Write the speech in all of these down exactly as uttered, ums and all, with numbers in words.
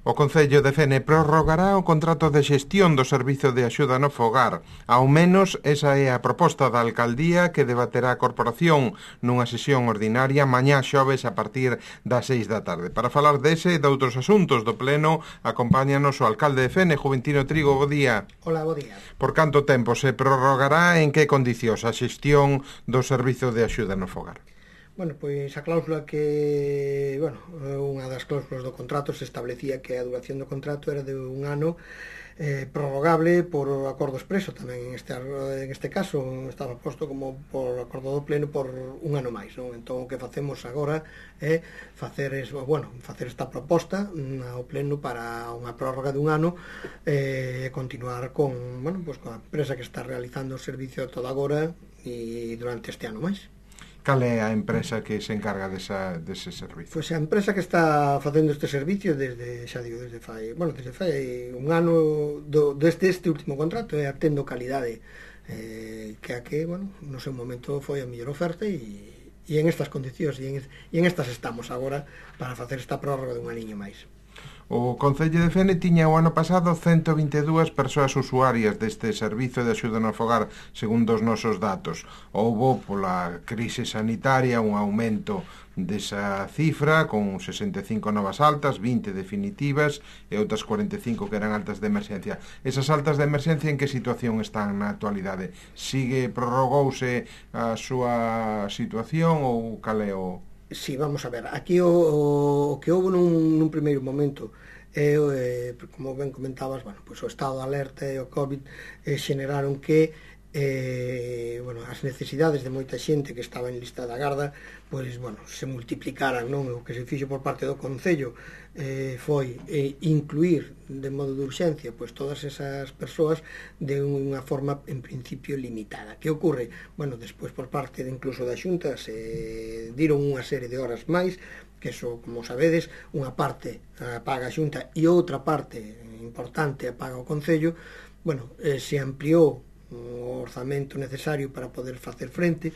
O Concello de Fene prorrogará o contrato de xestión do Servizo de Axuda no Fogar. Ao menos esa é a proposta da Alcaldía que debaterá a Corporación nunha sesión ordinaria mañá xoves a partir das seis da tarde. Para falar dese e de outros asuntos do Pleno, acompáñanos o alcalde de Fene, Juventino Trigo. Bo día. Hola, bo día. Por canto tempo se prorrogará, en que condicións a xestión do Servizo de Axuda no Fogar? Bueno, pois a cláusula que, bueno, unha das cláusulas do contrato se establecía que a duración do contrato era de un ano eh, prorrogable por acordo expreso tamén en este, en este caso estaba posto como por acordo do pleno por un ano máis, non? Entón o que facemos agora é facer es, bueno, facer esta proposta ao pleno para unha prórroga de un ano e eh, continuar con, bueno, pues, con a empresa que está realizando o servicio todo agora e durante este ano máis. Cal é a empresa que se encarga desa, dese servicio? Pois a empresa que está facendo este servicio desde, xa digo, desde fai, bueno, desde fai un ano do, desde este último contrato é a Tendo Calidade, eh, que a que, bueno, no seu momento foi a mellor oferta e, e en estas condicións e en, e en estas estamos agora para facer esta prórroga de un aniño máis. O Concello de Fene tiña o ano pasado cento e vinte e dúas persoas usuarias deste servizo de axuda no fogar, segundo os nosos datos. Houbo pola crise sanitaria un aumento desa cifra, con sesenta e cinco novas altas, vinte definitivas e outras cuarenta e cinco que eran altas de emerxencia. Esas altas de emerxencia en que situación están na actualidade? Sigue, prorrogouse a súa situación ou cal é o... Sí, vamos a ver, aquí o, o, o que houve nun, nun primeiro momento é, eh, como ben comentabas, bueno, pues o estado de alerta e o COVID eh, xeneraron que eh, bueno, as necesidades de moita xente que estaba en lista da garda pois, bueno, se multiplicaran, non? O que se fixo por parte do Concello eh, foi eh, incluir de modo de urxencia pois todas esas persoas de unha forma en principio limitada. Que ocorre? Bueno, despois por parte de incluso da Xunta se diron unha serie de horas máis, que eso, como sabedes, unha parte a paga a Xunta e outra parte importante a paga o Concello. Bueno, eh, se ampliou o orzamento necesario para poder facer frente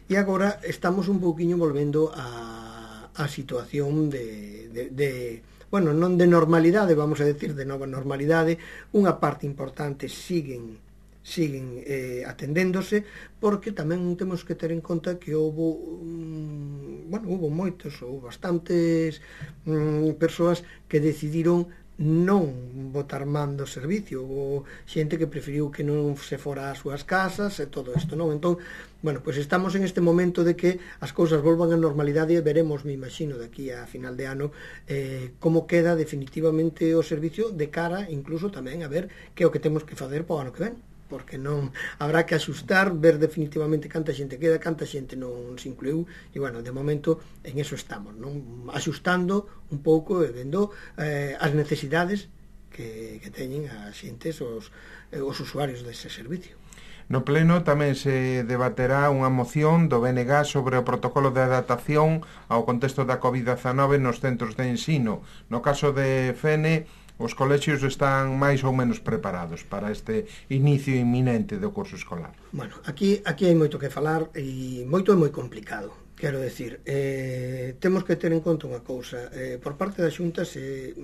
e agora estamos un pouquiño volvendo a, a situación de, de, de bueno, non de normalidade, vamos a decir de nova normalidade. Unha parte importante siguen siguen eh, atendéndose, porque tamén temos que ter en conta que houve um, bueno, houve moitos ou bastantes um, persoas que decidiron non botar man do servicio, ou xente que preferiu que non se fora ás súas casas e todo isto, non? Entón, bueno, pois estamos en este momento de que as cousas volvan á normalidade e veremos, me imagino, daqui a final de ano eh, como queda definitivamente o servicio de cara, incluso tamén a ver que é o que temos que facer para o ano que ven, porque non habrá que axustar, ver definitivamente canta xente queda, canta xente non se incluiu, e, bueno, de momento en eso estamos, non? Axustando un pouco e vendo eh, as necesidades que, que teñen as xentes, os, eh, os usuarios dese servicio. No Pleno tamén se debaterá unha moción do B N G sobre o protocolo de adaptación ao contexto da covid dezanove nos centros de ensino. No caso de Fene, os colexios están máis ou menos preparados para este inicio inminente do curso escolar. Bueno, aquí, aquí hai moito que falar e moito é moi complicado. Quero decir, eh, temos que ter en conta unha cousa. Eh, por parte da Xunta se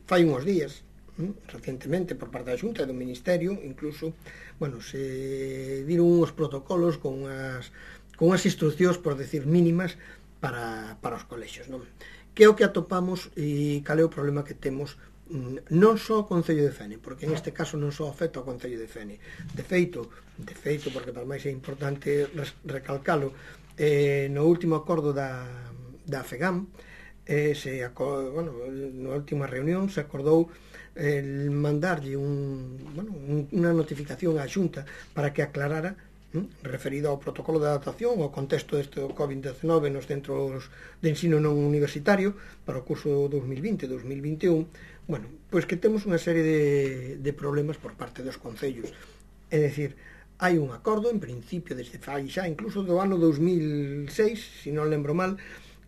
fai uns días, hm, recentemente, por parte da Xunta e do Ministerio, incluso, bueno, se diron uns protocolos con unhas, con unhas instruccións, por decir, mínimas para, para os colexios, non? Que é o que atopamos e cal é o problema que temos non só o Concello de Fene, porque en este caso non só afecta ao Concello de Fene. De feito, de feito, porque para máis é importante recalcalo, eh, no último acordo da, da FEGAM, eh, se, bueno, na última reunión se acordou eh, mandarlle un, bueno, un, unha notificación á Xunta para que aclarara referido ao protocolo de adaptación ao contexto deste covid dezanove nos centros de ensino non universitario para o curso dos mil vinte dos mil vinte e un. Bueno, pois que temos unha serie de, de problemas por parte dos concellos. É dicir, hai un acordo, en principio, desde fai xa, incluso do ano dos mil seis, se non lembro mal,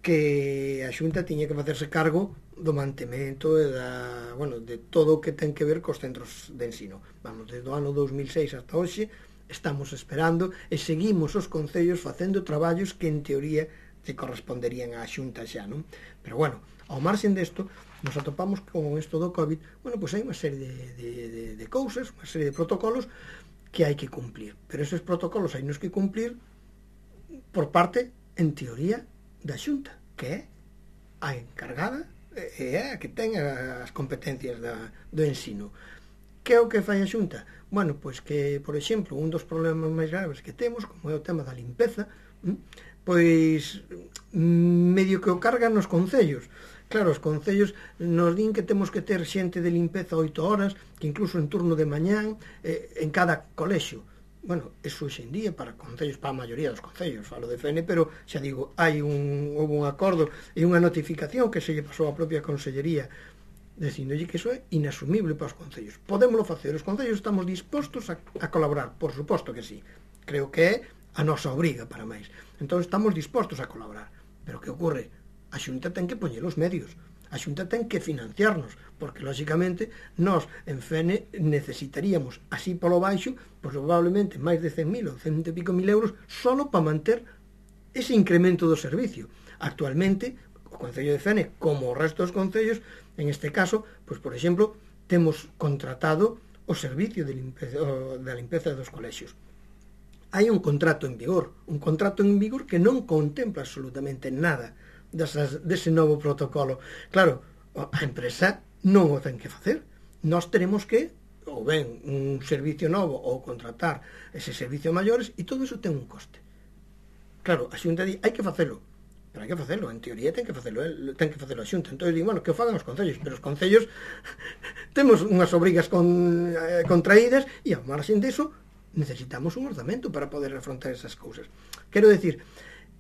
que a Xunta tiña que facerse cargo do mantemento e da, bueno, de todo o que ten que ver cos centros de ensino. Vamos, desde o ano dos mil seis hasta hoxe, estamos esperando e seguimos os concellos facendo traballos que en teoría que corresponderían á Xunta xa, non? Pero bueno, Ao marxen desto, nos atopamos con isto do COVID, bueno, pois hai unha serie de, de, de, de cousas, unha serie de protocolos que hai que cumplir. Pero esos protocolos hai nos que cumplir por parte, en teoría, da Xunta, que é a encargada e é a que ten as competencias da, do ensino. Que é o que fai a Xunta? Bueno, pois que, por exemplo, un dos problemas máis graves que temos, como é o tema da limpeza, pois medio que o cargan nos concellos. Claro, os concellos nos din que temos que ter xente de limpeza oito horas, que incluso en turno de mañán, eh, en cada colexio. Bueno, eso hoxe en día para concellos, para a maioría dos concellos, falo de F N, pero xa digo, hai un, houve un acordo e unha notificación que se lle pasou á propia Consellería dicindolle que iso é inasumible para os concellos. Podémoslo facer, os concellos estamos dispostos a, a colaborar, por suposto que sí. Creo que é a nosa obriga para máis. Entón estamos dispostos a colaborar. Pero que ocorre? A Xunta ten que poñer os medios. A Xunta ten que financiarnos, porque, lóxicamente, nós, en F N, necesitaríamos, así polo baixo, pues, probablemente máis de cen mil ou cento e pico mil euros solo para manter ese incremento do servicio. Actualmente, o Concello de F N, como o resto dos concellos, en este caso, pues, por exemplo, temos contratado o servicio de limpeza, da limpeza dos colexios. Hai un contrato en vigor, un contrato en vigor que non contempla absolutamente nada desas, dese novo protocolo. Claro, a empresa non o ten que facer. Nós teremos que, ou ben, un servicio novo ou contratar ese servicio a maiores, e todo iso ten un coste. Claro, a Xunta di, hai que facelo, pero hai que facelo, en teoría ten que facelo, ten que facelo a Xunta. Entón, digo, bueno, que o fagan os concellos, pero os concellos temos unhas obrigas con, eh, contraídas, e ao marxen deso necesitamos un orzamento para poder afrontar esas cousas. Quero decir,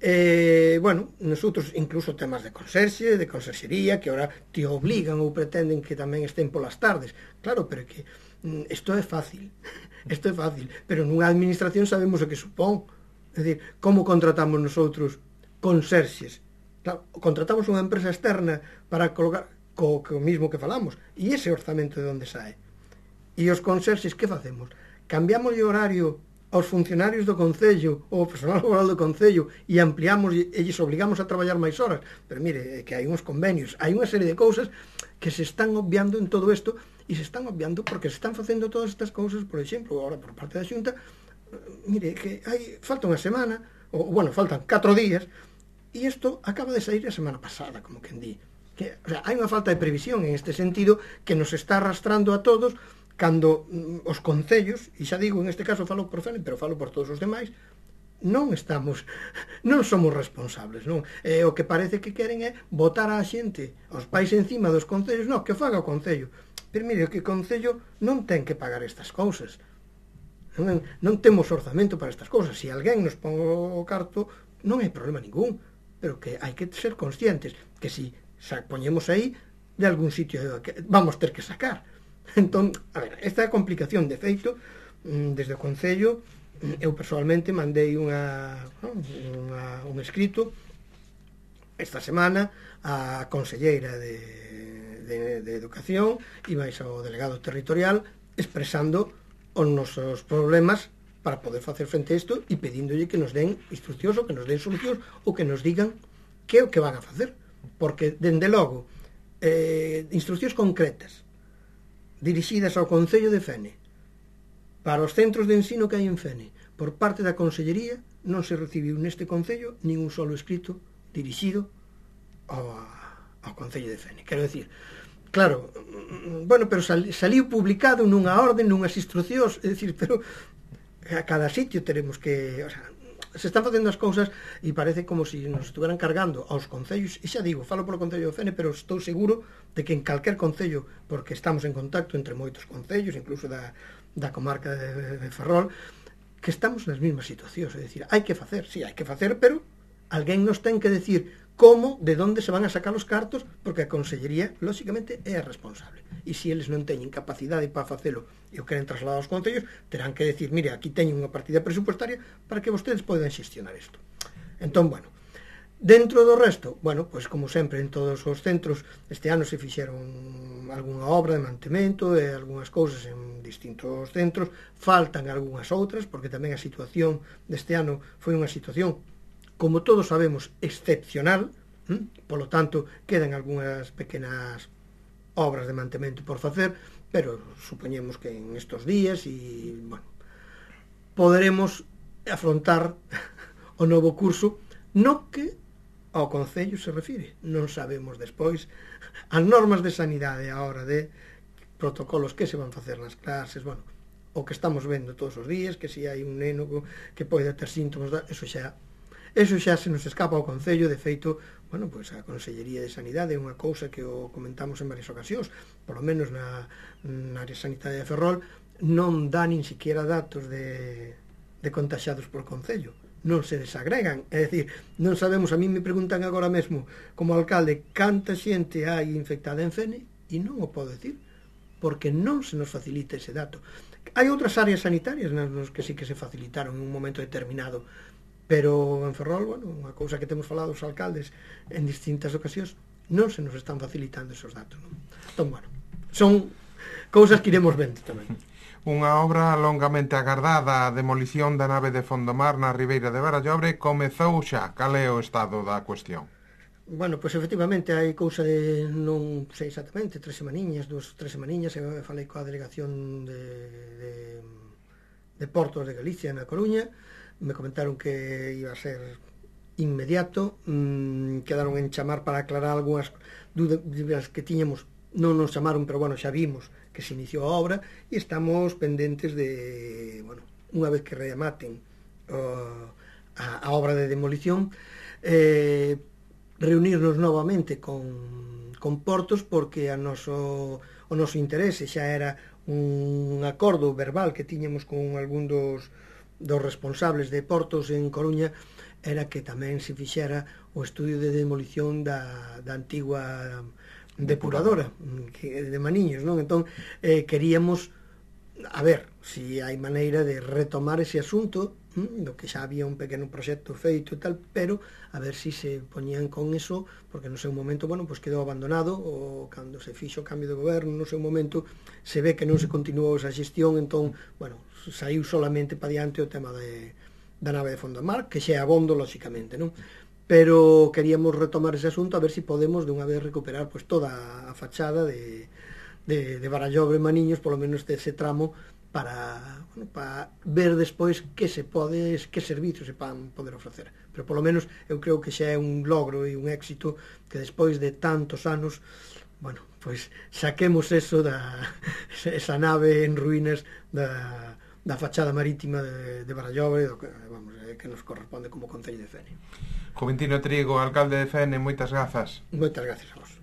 eh, bueno, nosotros incluso temas de conserxe, de conserxería, que ahora te obligan ou pretenden que tamén estén polas tardes. Claro, pero que isto é fácil, isto é fácil, pero nunha administración sabemos o que supón. É dicir, como contratamos nosotros conserxes? Claro, contratamos unha empresa externa para colocar co, co mismo que falamos, e ese orzamento de onde sae? E os conserxes, que facemos? Cambiamos o horario aos funcionarios do Concello ou ao personal laboral do Concello e ampliamos e lles obligamos a traballar máis horas. Pero mire, que hai uns convenios, hai unha serie de cousas que se están obviando en todo isto, e se están obviando porque se están facendo todas estas cousas, por exemplo, agora por parte da Xunta, mire, que hai falta unha semana, ou, bueno, faltan catro días, e isto acaba de sair a semana pasada, como quen di. Que, o sea, hai unha falta de previsión en este sentido que nos está arrastrando a todos cando os concellos, e xa digo, en este caso falo por F N, pero falo por todos os demais, non estamos, non somos responsables, non? E o que parece que queren é botar a xente, aos pais encima dos concellos, non, que faga o concello. Pero mire, que o concello non ten que pagar estas cousas. Non, non temos orzamento para estas cousas. Se alguén nos pon o carto, non hai problema ningún, pero que hai que ser conscientes que se si poñemos aí, de algún sitio vamos ter que sacar. Entón, a ver, esta complicación de feito, desde o Concello, eu persoalmente mandei unha, unha, un escrito esta semana á conselleira de, de, de Educación e máis ao delegado territorial expresando os nosos problemas para poder facer frente a isto e pedíndolle que nos den instruccións ou que nos den solucións ou que nos digan que é o que van a facer, porque, dende logo, eh, instruccións concretas dirixidas ao Concello de Fene para os centros de ensino que hai en Fene por parte da Consellería, non se recibiu neste Concello nin un solo escrito dirixido ao, ao Concello de Fene. Quero decir, claro, bueno, pero sal, saliu publicado nunha orden, nunhas instruccións, é dicir, pero a cada sitio teremos que, o sea, se están facendo as cousas e parece como se si nos estuveran cargando aos concellos, e xa digo, falo polo Concello de Fene, pero estou seguro de que en calquer concello, porque estamos en contacto entre moitos concellos, incluso da, da comarca de, de Ferrol, que estamos nas mesmas situacións, é dicir, hai que facer, sí, hai que facer, pero alguén nos ten que decir como, de onde se van a sacar os cartos, porque a Consellería, lóxicamente, é a responsable. E se eles non teñen capacidade para facelo e o queren trasladar aos concellos, terán que decir, mire, aquí teñen unha partida presupuestaria para que vostedes poden xestionar isto. Entón, bueno, dentro do resto, bueno, pois como sempre en todos os centros, este ano se fixeron algunha obra de mantemento e algunhas cousas en distintos centros, faltan algunhas outras, porque tamén a situación deste ano foi unha situación, como todos sabemos, excepcional, ¿Mm? Polo tanto, quedan algunhas pequenas obras de mantemento por facer, pero supoñemos que en estos días e, bueno, poderemos afrontar o novo curso no que ao Concello se refire. Non sabemos despois as normas de sanidade a hora de protocolos que se van facer nas clases, bueno, o que estamos vendo todos os días, que se hai un neno que pode ter síntomas, eso xa eso xa se nos escapa ao Concello. De feito, bueno, pois a Consellería de Sanidade é unha cousa que o comentamos en varias ocasións, polo menos na, na área sanitaria de Ferrol, non dá nin siquiera datos de, de contaxados por Concello, non se desagregan, é dicir, non sabemos, a mí me preguntan agora mesmo como alcalde canta xente hai infectada en Fene e non o podo decir, porque non se nos facilita ese dato. Hai outras áreas sanitarias nas que sí que se facilitaron en un momento determinado, pero en Ferrol, bueno, unha cousa que temos falado os alcaldes en distintas ocasións, non se nos están facilitando esos datos, non? Entón, bueno, son cousas que iremos vendo tamén. Unha obra longamente agardada, a demolición da nave de Fondomar na Ribeira de Barallobre, comezou xa. Cal é o estado da cuestión? Bueno, pois efectivamente hai cousa de, non sei exactamente, tres semaniñas, dúas, tres semaniñas, eu falei coa delegación de, de, de Portos de Galicia na Coruña, me comentaron que iba a ser inmediato, mmm, quedaron en chamar para aclarar algunhas dúbidas que tiñamos, non nos chamaron, pero bueno, xa vimos que se iniciou a obra e estamos pendentes de, bueno, unha vez que rematen uh, a, a obra de demolición, eh, reunirnos novamente con, con Portos, porque a noso, o noso interese xa era un acordo verbal que tiñamos con algún dos dos responsables de Portos en Coruña, era que tamén se fixera o estudio de demolición da, da antigua depuradora que, de Maniños, non? Entón, eh, queríamos a ver se si hai maneira de retomar ese asunto, hm, do que xa había un pequeno proxecto feito e tal, pero a ver se si se poñían con eso, porque no seu momento, bueno, pues quedou abandonado, ou cando se fixo o cambio de goberno, no seu momento se ve que non se continuou esa xestión, entón, bueno, saiu solamente para diante o tema de, da nave de Fondomar, que xa é abondo, lóxicamente, non? Pero queríamos retomar ese asunto a ver se si podemos de unha vez recuperar pues, toda a fachada de, de, de Barallobre Maniños, polo menos dese tramo, para, bueno, para ver despois que se pode, que servizos se van poder ofrecer. Pero polo menos eu creo que xa é un logro e un éxito que despois de tantos anos, bueno, pois saquemos eso da esa nave en ruínas da da fachada marítima de, de Barallobre, do que, vamos, que nos corresponde como Concello de Fene. Juventino Trigo, alcalde de Fene, moitas grazas. Moitas grazas a vos.